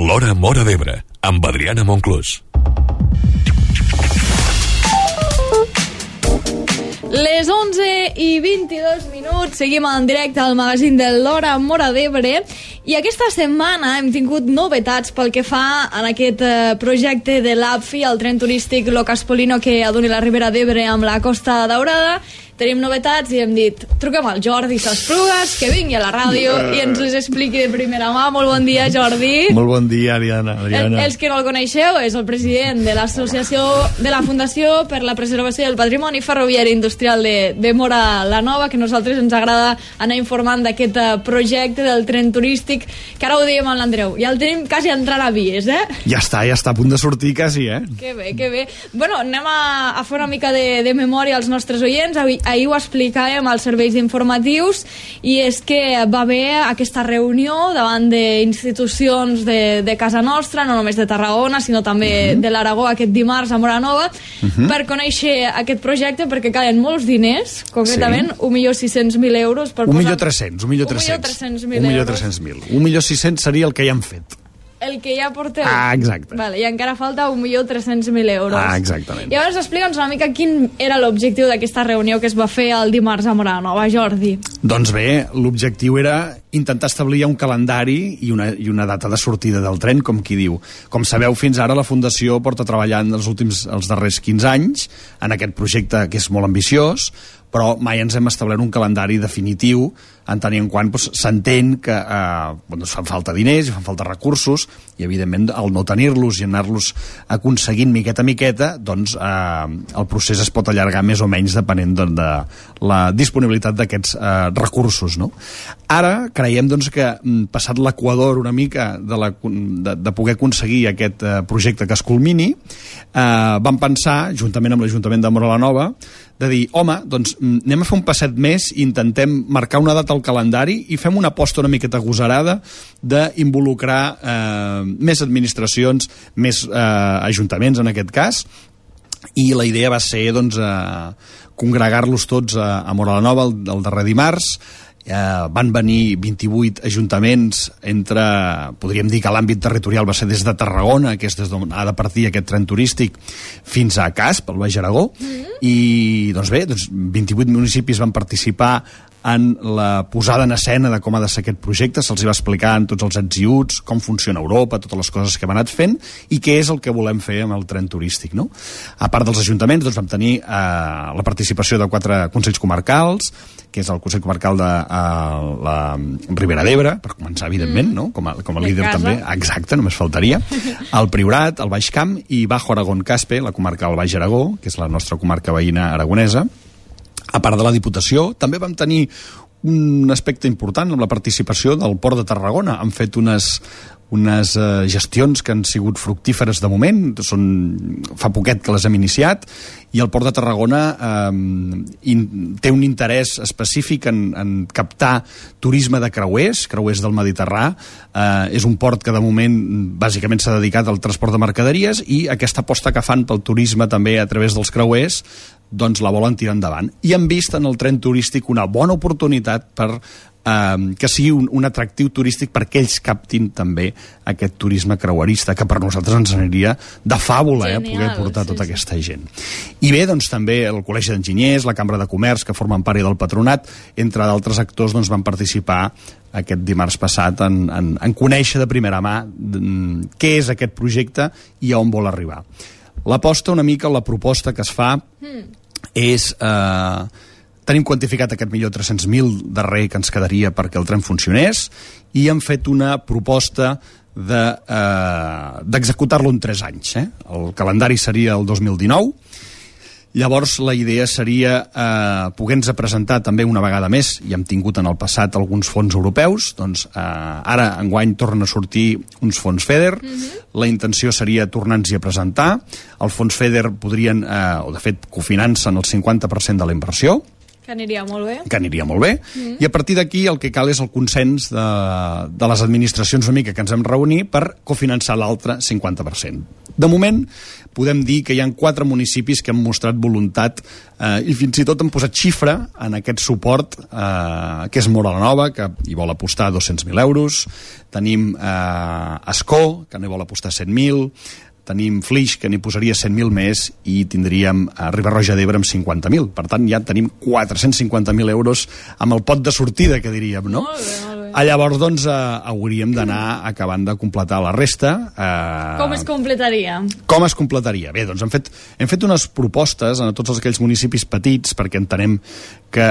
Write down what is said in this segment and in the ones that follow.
L'Hora Móra d'Ebre, amb Adriana Monclús. Les 11:22, seguim en directe al magazín de l'Hora Móra d'Ebre i aquesta setmana hem tingut novetats pel que fa en aquest projecte de l'APFI, el tren turístic Locaspolino que aduni la Ribera d'Ebre amb la Costa Daurada. Tenim novetats i hem dit, truquem al Jordi Sasplugas, que vingui a la ràdio i ens les expliqui de primera mà. Molt bon dia, Jordi. Molt bon dia, Adriana. Els que no el coneixeu, és el president de l'associació de la Fundació per la Preservació del Patrimoni Ferroviari Industrial de Móra la Nova, que a nosaltres ens agrada anar informant d'aquest projecte del tren turístic, que ara ho dèiem amb l'Andreu. Ja el tenim quasi entrant a vies, eh? Ja està a punt de sortir quasi, eh? Que bé, que bé. Bueno, anem a fer una mica de memòria als nostres oients. Ahir ho explicàvem als serveis informatius i és que va haver aquesta reunió davant d'institucions de casa nostra, no només de Tarragona, sinó també de l'Aragó aquest dimarts a Móra Nova, per conèixer aquest projecte, perquè calen molts diners, concretament 1.600.000 euros. 1.300.000. 1.600.000 seria el que ja han fet. El que ja porteu. Ah, exacte. Vale, i encara falta 1.300.000 euros. Ah, exactament. I llavors explica'ns una mica quin era l'objectiu d'aquesta reunió que es va fer el dimarts a Móra Nova, Jordi. Doncs bé, l'objectiu era intentar establir un calendari i una data de sortida del tren, com qui diu. Com sabeu, fins ara la Fundació porta treballant els darrers 15 anys en aquest projecte que és molt ambiciós, però mai ens hem establert un calendari definitiu en tant en quant s'entén que fan falta diners i fan falta recursos i evidentment al no tenir-los i anar-los aconseguint miqueta a miqueta, doncs el procés es pot allargar més o menys depenent de la disponibilitat d'aquests recursos, no? Ara creiem doncs, que passat l'equador una mica de poder aconseguir aquest projecte que es culmini, vam pensar, juntament amb l'Ajuntament de Móra la Nova, de dir, home, doncs anem a fer un passet més i intentem marcar una data al calendari i fem una aposta una miqueta agosarada d'involucrar més administracions, més ajuntaments en aquest cas, i la idea va ser doncs, congregar-los tots a Móra la Nova el darrer dimarts. Van venir 28 ajuntaments entre, podríem dir que l'àmbit territorial va ser des de Tarragona, que és des d'on ha de partir aquest tren turístic, fins a Casp, al Baix Aragó, i doncs bé, 28 municipis van participar en la posada en escena de com ha de ser aquest projecte, se'ls va explicar en tots els ets i uts, com funciona Europa, totes les coses que hem anat fent i què és el que volem fer amb el tren turístic, no? A part dels ajuntaments, doncs vam tenir la participació de 4 consells comarcals, que és el Consell Comarcal de la Ribera d'Ebre, per començar, evidentment, no? Com a líder també, exacte, només faltaria, el Priorat, el Baix Camp i Bajo Aragón Caspe, la comarca del Baix Aragó, que és la nostra comarca veïna aragonesa. A part de la Diputació, també vam tenir un aspecte important amb la participació del Port de Tarragona. Han fet unes gestions que han sigut fructíferes de moment, fa poquet que les hem iniciat, i el Port de Tarragona té un interès específic en captar turisme de creuers del Mediterrani. És un port que de moment bàsicament s'ha dedicat al transport de mercaderies i aquesta aposta que fan pel turisme també a través dels creuers doncs la volen tirar endavant. I han vist en el tren turístic una bona oportunitat per que sigui un atractiu turístic perquè ells captin també aquest turisme creuerista, que per nosaltres ens aniria de fàbula poder portar tota aquesta gent. I bé, doncs també el Col·legi d'Enginyers, la Cambra de Comerç, que formen part del patronat, entre d'altres actors, doncs van participar aquest dimarts passat en conèixer de primera mà què és aquest projecte i a on vol arribar. L'aposta una mica, la proposta que es fa és... Tenim quantificat aquest 1.300.000 darrer que ens quedaria perquè el tren funcionés i hem fet una proposta d'executar-lo en 3 anys. El calendari seria el 2019. Llavors la idea seria poder-nos presentar també una vegada més, i hem tingut en el passat alguns fons europeus, doncs ara enguany tornen a sortir uns fons FEDER, la intenció seria tornar-nos-hi a presentar. El fons FEDER podrien, o de fet cofinancen el 50% de la inversió, que aniria molt bé. I a partir d'aquí el que cal és el consens de les administracions una mica que ens hem reunit per cofinançar l'altre 50%. De moment, podem dir que hi ha 4 municipis que han mostrat voluntat i fins i tot han posat xifra en aquest suport, que és Móra la Nova, que hi vol apostar 200.000 euros, tenim Ascó, que n'hi vol apostar 100.000, tenim Flix, que n'hi posaria 100.000 més, i tindríem Riba-roja d'Ebre amb 50.000. Per tant, ja tenim 450.000 euros amb el pot de sortida, que diríem, no? Molt bé, molt bé. Llavors, doncs, hauríem d'anar acabant de completar la resta. Com es completaria? Com es completaria? Bé, doncs hem fet unes propostes a tots aquells municipis petits, perquè entenem que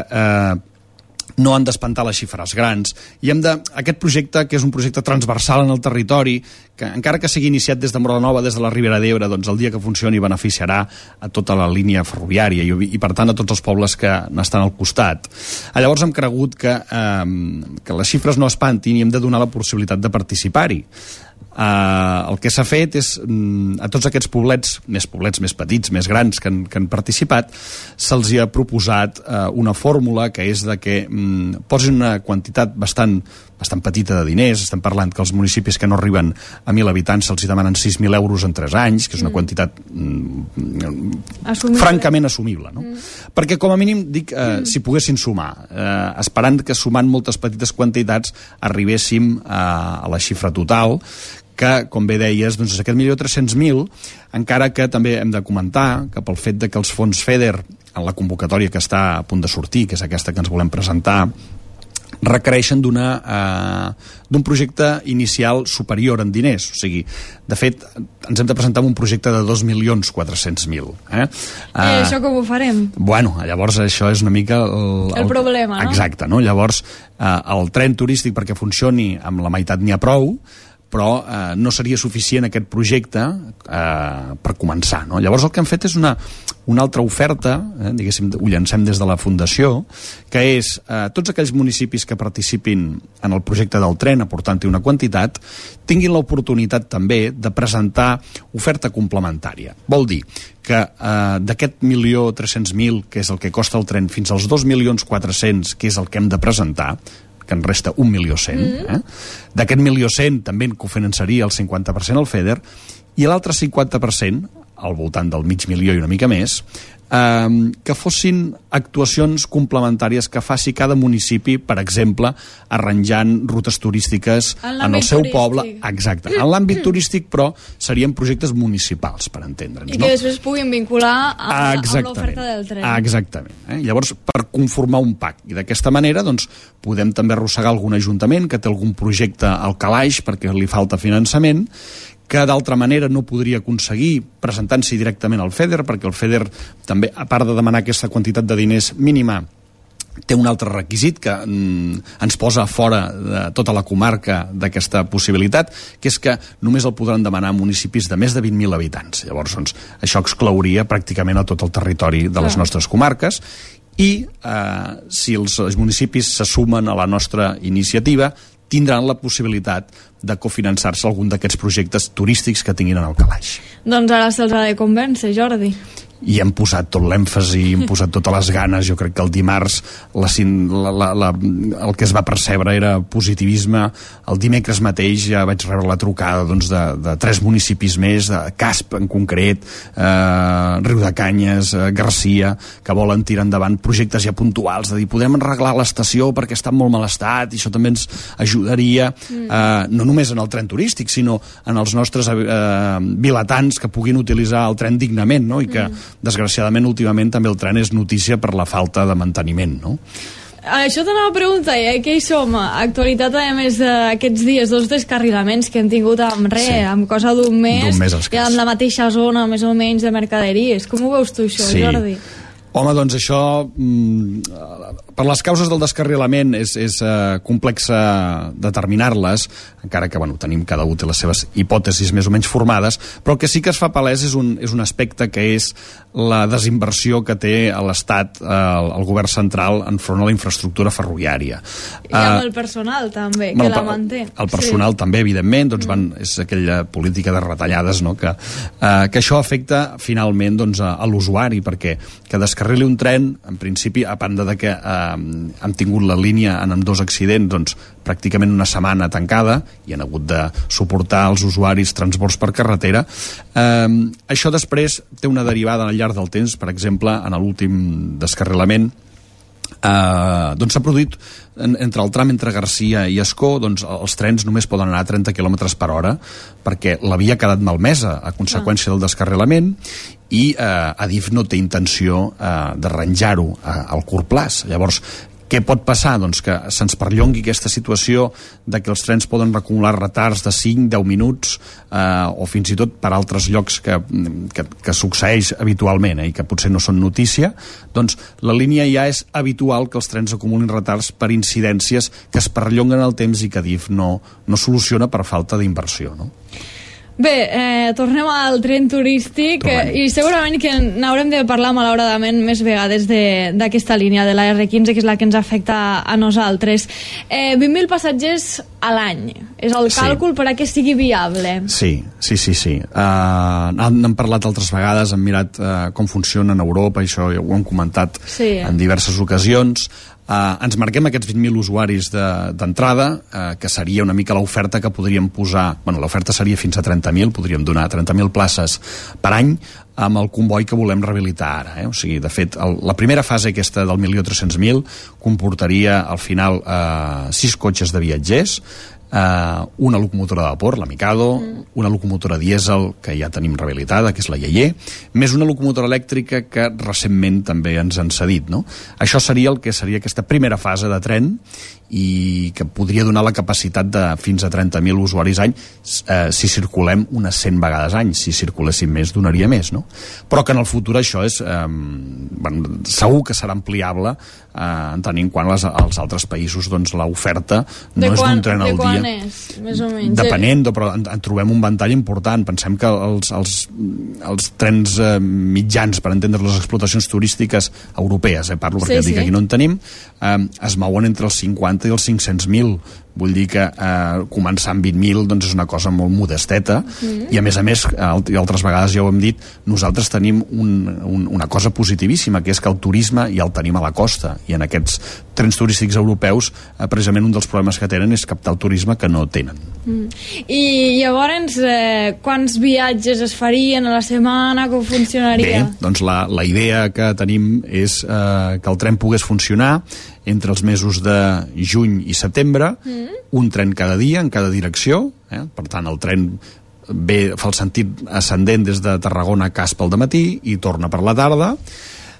no han d'espantar les xifres grans, i aquest projecte, que és un projecte transversal en el territori, que encara que sigui iniciat des de Móra la Nova, des de la Ribera d'Ebre, doncs el dia que funcioni beneficiarà a tota la línia ferroviària i per tant a tots els pobles que n'estan al costat. Llavors hem cregut que les xifres no espantin i hem de donar la possibilitat de participar-hi. El que s'ha fet és, a tots aquests poblets més petits, més grans, que han participat, se'ls ha proposat una fórmula, que és de que posin una quantitat bastant petita de diners. Estem parlant que els municipis que no arriben a 1.000 habitants se'ls demanen 6.000 euros en 3 anys, que és una quantitat francament assumible, no? Perquè com a mínim dic, si poguessin sumar, esperant que sumant moltes petites quantitats arribéssim a la xifra total, que, com bé deies, doncs és aquest 1.300.000, encara que també hem de comentar que pel fet de que els fons FEDER, en la convocatòria que està a punt de sortir, que és aquesta que ens volem presentar, requereixen d'un projecte inicial superior en diners. O sigui, de fet, ens hem de presentar amb un projecte de 2.400.000. Això com ho farem? Bueno, llavors això és una mica el problema, no? Exacte, no? Llavors, el tren turístic, perquè funcioni amb la meitat n'hi ha prou, però no seria suficient aquest projecte per començar, no? Llavors el que hem fet és una altra oferta, diguéssim, ho llancem des de la Fundació, que és tots aquells municipis que participin en el projecte del tren, aportant-hi una quantitat, tinguin l'oportunitat també de presentar oferta complementària. Vol dir que d'aquest 1.300.000, que és el que costa el tren, fins als 2.400.000, que és el que hem de presentar, que en resta 1.100.000. D'aquest 1.100.000 també en cofinançaria el 50% al FEDER, i l'altre 50%, al voltant del 500.000 i una mica més, que fossin actuacions complementàries que faci cada municipi, per exemple, arranjant rutes turístiques en el seu poble. Exacte, en l'àmbit turístic, però serien projectes municipals, per entendre'ns. I que després puguin vincular amb l'oferta del tren. Exactament. Llavors, per conformar un PAC. I d'aquesta manera, doncs, podem també arrossegar algun ajuntament que té algun projecte al calaix perquè li falta finançament, que d'altra manera no podria aconseguir presentant-s'hi directament al FEDER, perquè el FEDER també, a part de demanar aquesta quantitat de diners mínima, té un altre requisit que ens posa fora de tota la comarca d'aquesta possibilitat, que és que només el podran demanar municipis de més de 20.000 habitants. Llavors, doncs, això exclouria pràcticament a tot el territori de les nostres comarques, i si els municipis se sumen a la nostra iniciativa, tindran la possibilitat de cofinançar-se algun d'aquests projectes turístics que tinguin en el calaix. Doncs ara se'ls ha de convèncer, Jordi. I hem posat tot l'èmfasi, hem posat totes les ganes. Jo crec que el dimarts el que es va percebre era positivisme. El dimecres mateix ja vaig rebre la trucada de 3 municipis més, de Casp en concret, Riudecanyes, Garcia, que volen tirar endavant projectes ja puntuals, de dir, podem arreglar l'estació perquè està en molt mal estat, i això també ens ajudaria, no només en el tren turístic, sinó en els nostres vilatans que puguin utilitzar el tren dignament, no? I que desgraciadament últimament també el tren és notícia per la falta de manteniment, no? Això t'anava a preguntar, que hi som, actualitat a més d'aquests dies, 2 descarrilaments que hem tingut amb amb cosa d'un mes i amb la mateixa zona més o menys de mercaderies. Com ho veus tu això, Jordi? Home, doncs això, per les causes del descarrilament és complex determinar-les, encara que tenim cada un té les seves hipòtesis més o menys formades, però el que sí que es fa palès és un aspecte que és la desinversió que té l'Estat, el govern central, enfront a la infraestructura ferroviària. I amb el personal també, que la manté. El personal també, evidentment, és aquella política de retallades, no? Que això afecta finalment a l'usuari, perquè que descarrili un tren, en principi, a banda de que hem tingut la línia en ambdós accidents, doncs, pràcticament una setmana tancada i han hagut de suportar els usuaris transbords per carretera. Això després té una derivada al llarg del temps. Per exemple, en l'últim descarrilament doncs s'ha produït entre el tram entre Garcia i Ascó, doncs els trens només poden anar a 30 km per hora perquè la via ha quedat malmesa a conseqüència del descarrilament i Adif no té intenció d'arranjar-ho al curt plaç. Llavors, què pot passar? Doncs que se'ns perllongui aquesta situació de que els trens poden acumular retards de 5-10 minuts o fins i tot per altres llocs que succeeix habitualment i que potser no són notícia. Doncs la línia ja és habitual que els trens acumulin retards per incidències que es perllonguen el temps i que Adif no soluciona per falta d'inversió, no? Bé, tornem al tren turístic i segurament que n'haurem de parlar malauradament més vegades d'aquesta línia de la R15, que és la que ens afecta a nosaltres. 20.000 passatgers a l'any és el càlcul per a que sigui viable. Sí. N'hem parlat altres vegades, hem mirat com funciona en Europa, això ja ho hem comentat en diverses ocasions. Ens marquem aquests 20.000 usuaris d'entrada, que seria una mica l'oferta que podríem posar. Bueno, l'oferta seria fins a 30.000, podríem donar 30.000 places per any amb el comboi que volem rehabilitar ara. O sigui, de fet, la primera fase aquesta del 1.300.000 comportaria al final 6 cotxes de viatgers, una locomotora de vapor, la Mikado, una locomotora dièsel que ja tenim rehabilitada, que és la Yeye, més una locomotora elèctrica que recentment també ens han cedit, no? Això seria el que seria aquesta primera fase de tren i que podria donar la capacitat de fins a 30.000 usuaris any si circulem unes 100 vegades any. Si circuléssim més, donaria més, no? Però que en el futur això és segur que serà ampliable en tenir en compte als altres països, doncs l'oferta no és d'un tren al dia. De quan és, més o menys? Depenent, però en trobem un ventall important. Pensem que els trens mitjans, per entendre les explotacions turístiques europees, parlo perquè dic que aquí no en tenim, es mouen entre els 50 i els 500.000. Vull dir que començar amb 20.000 doncs és una cosa molt modesteta i a més, i altres vegades ja ho hem dit, nosaltres tenim una cosa positivíssima, que és que el turisme ja el tenim a la costa i en aquests trens turístics europeus precisament un dels problemes que tenen és captar el turisme que no tenen. I llavors quants viatges es farien a la setmana? Com funcionaria? Bé, doncs la idea que tenim és que el tren pogués funcionar entre els mesos de juny i setembre, un tren cada dia, en cada direcció, per tant el tren fa el sentit ascendent des de Tarragona a Casp al dematí i torna per la tarda.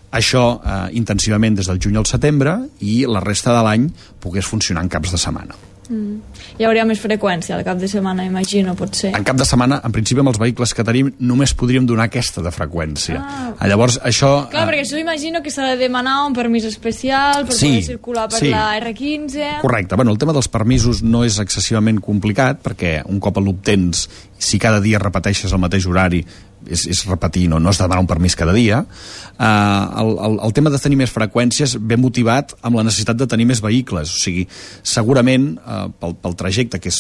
Això intensivament des del juny al setembre i la resta de l'any pogués funcionar en caps de setmana. Hi hauria més freqüència al cap de setmana, imagino, potser. En cap de setmana, en principi, amb els vehicles que tenim, només podríem donar aquesta de freqüència. Llavors, això... Clar, perquè això imagino que s'ha de demanar un permís especial per poder circular per la R15... Correcte. Bueno, el tema dels permisos no és excessivament complicat, perquè un cop l'obtens, si cada dia repeteixes el mateix horari, és repetir, no has de demanar un permís cada dia. El tema de tenir més freqüències ve motivat amb la necessitat de tenir més vehicles. O sigui, segurament pel trajecte, que és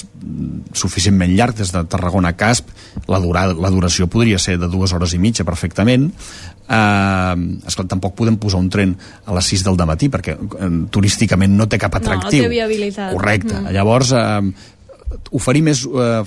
suficientment llarg des de Tarragona a Casp, la duració podria ser de 2 hores i mitja perfectament. Esclar, tampoc podem posar un tren a les 6 del dematí perquè turísticament no té cap atractiu. No té viabilitat. Correcte. Llavors oferir més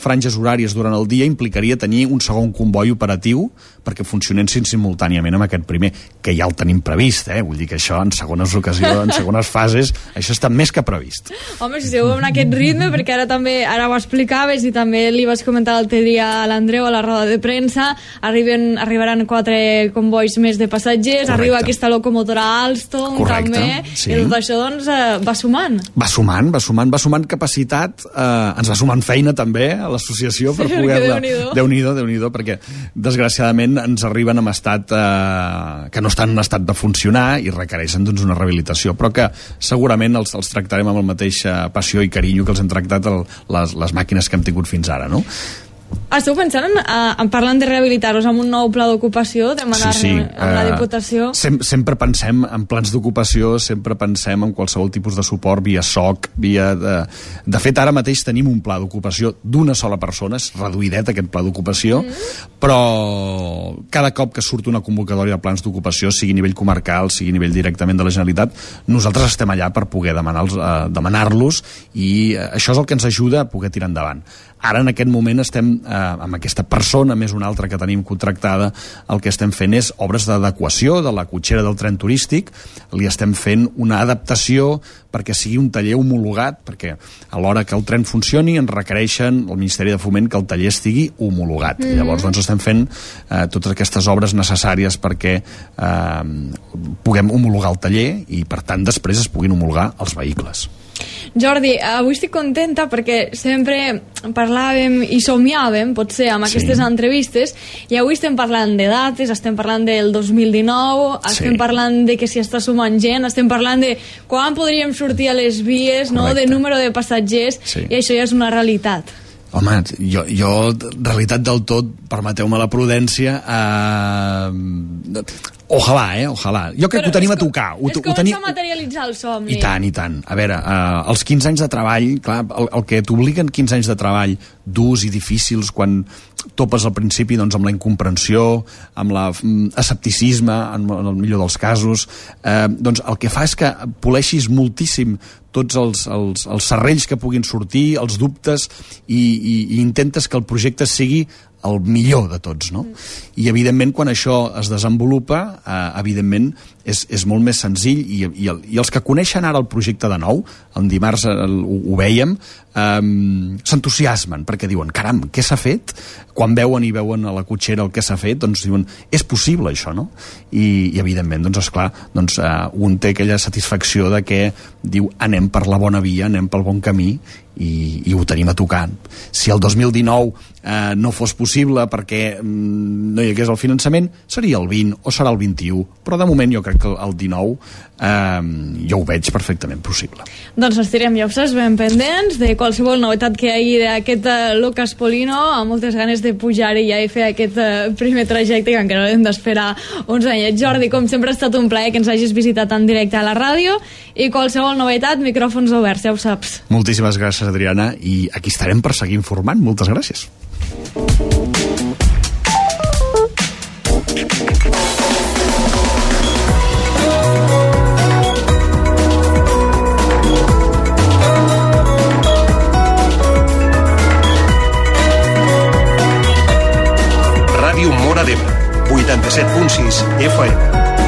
franges horàries durant el dia implicaria tenir un segon comboi operatiu perquè funcionessin simultàniament amb aquest primer, que ja el tenim previst, vull dir que això en segones ocasions, en segones fases, això està més que previst. Home, si esteu en aquest ritme, perquè ara ho explicaves i també li vas comentar l'altre dia a l'Andreu a la roda de premsa, arribaran 4 combois més de passatgers. Correcte. Arriba aquesta locomotora Alstom. Correcte, també, sí. I tot això doncs va sumant. Va sumant capacitat, ens va sumant feina també a l'associació per poder-la... Déu-n'hi-do, perquè desgraciadament ens arriben en estat que no estan en estat de funcionar i requereixen doncs una rehabilitació, però que segurament els tractarem amb la mateixa passió i carinyo que els hem tractat les màquines que hem tingut fins ara, no? Esteu pensant en parlant de rehabilitar-los amb un nou pla d'ocupació, demanar-ne amb la Diputació? Sempre pensem en plans d'ocupació, sempre pensem en qualsevol tipus de suport via SOC, via... De fet, ara mateix tenim un pla d'ocupació d'una sola persona, és reduïdet aquest pla d'ocupació, però cada cop que surt una convocatòria de plans d'ocupació, sigui a nivell comarcal, sigui a nivell directament de la Generalitat, nosaltres estem allà per poder demanar-los i això és el que ens ajuda a poder tirar endavant. Ara, en aquest moment, estem amb aquesta persona, més una altra que tenim contractada, el que estem fent és obres d'adequació de la cotxera del tren turístic, li estem fent una adaptació perquè sigui un taller homologat, perquè a l'hora que el tren funcioni ens requereixen el Ministeri de Foment que el taller estigui homologat. Llavors, doncs, estem fent totes aquestes obres necessàries perquè puguem homologar el taller i, per tant, després es puguin homologar els vehicles. Jordi, avui estic contenta perquè sempre parlàvem i somiàvem, potser, amb aquestes entrevistes, i avui estem parlant de dates, estem parlant del 2019, estem parlant de que s'hi està sumant gent, estem parlant de quan podríem sortir a les vies, no? De número de passatgers, i això ja és una realitat. Home, jo realitat del tot, permeteu-me la prudència, ojalà. Jo crec que ho tenim a tocar. És començar a materialitzar el somni. I tant. A veure, els 15 anys de treball, clar, el que t'obliguen 15 anys de treball durs i difícils quan topes al principi doncs, amb la incomprensió, amb l'escepticisme, en el millor dels casos, doncs el que fa és que poleixis moltíssim tots els serrells que puguin sortir, els dubtes, i intentes que el projecte sigui el millor de tots, no? I evidentment quan això es desenvolupa, evidentment és molt més senzill, i els que coneixen ara el projecte de nou, el dimarts ho vèiem, s'entusiasmen perquè diuen, caram, què s'ha fet? Quan veuen a la cotxera el que s'ha fet, doncs diuen, és possible això, no? I evidentment, doncs esclar, un té aquella satisfacció de que diu, anem per la bona via, anem pel bon camí, i ho tenim a tocar. Si el 2019 no fos possible perquè no hi hagués el finançament, seria el 20 o serà el 21, però de moment jo crec que el 19 jo ho veig perfectament possible. Doncs estirem, ja ho saps, ben pendents de qualsevol novetat que hi hagi d'aquest Lucas Polino, amb moltes ganes de pujar-hi ja i fer aquest primer trajecte que encara hem d'esperar uns anyets. Jordi, com sempre ha estat un plaer que ens hagis visitat en directe a la ràdio, i qualsevol novetat, micròfons oberts, ja ho saps. Moltíssimes gràcies, Adriana, i aquí estarem per seguir informant. Moltes gràcies. Ràdio Móra d'Ebre, 87.6 FM.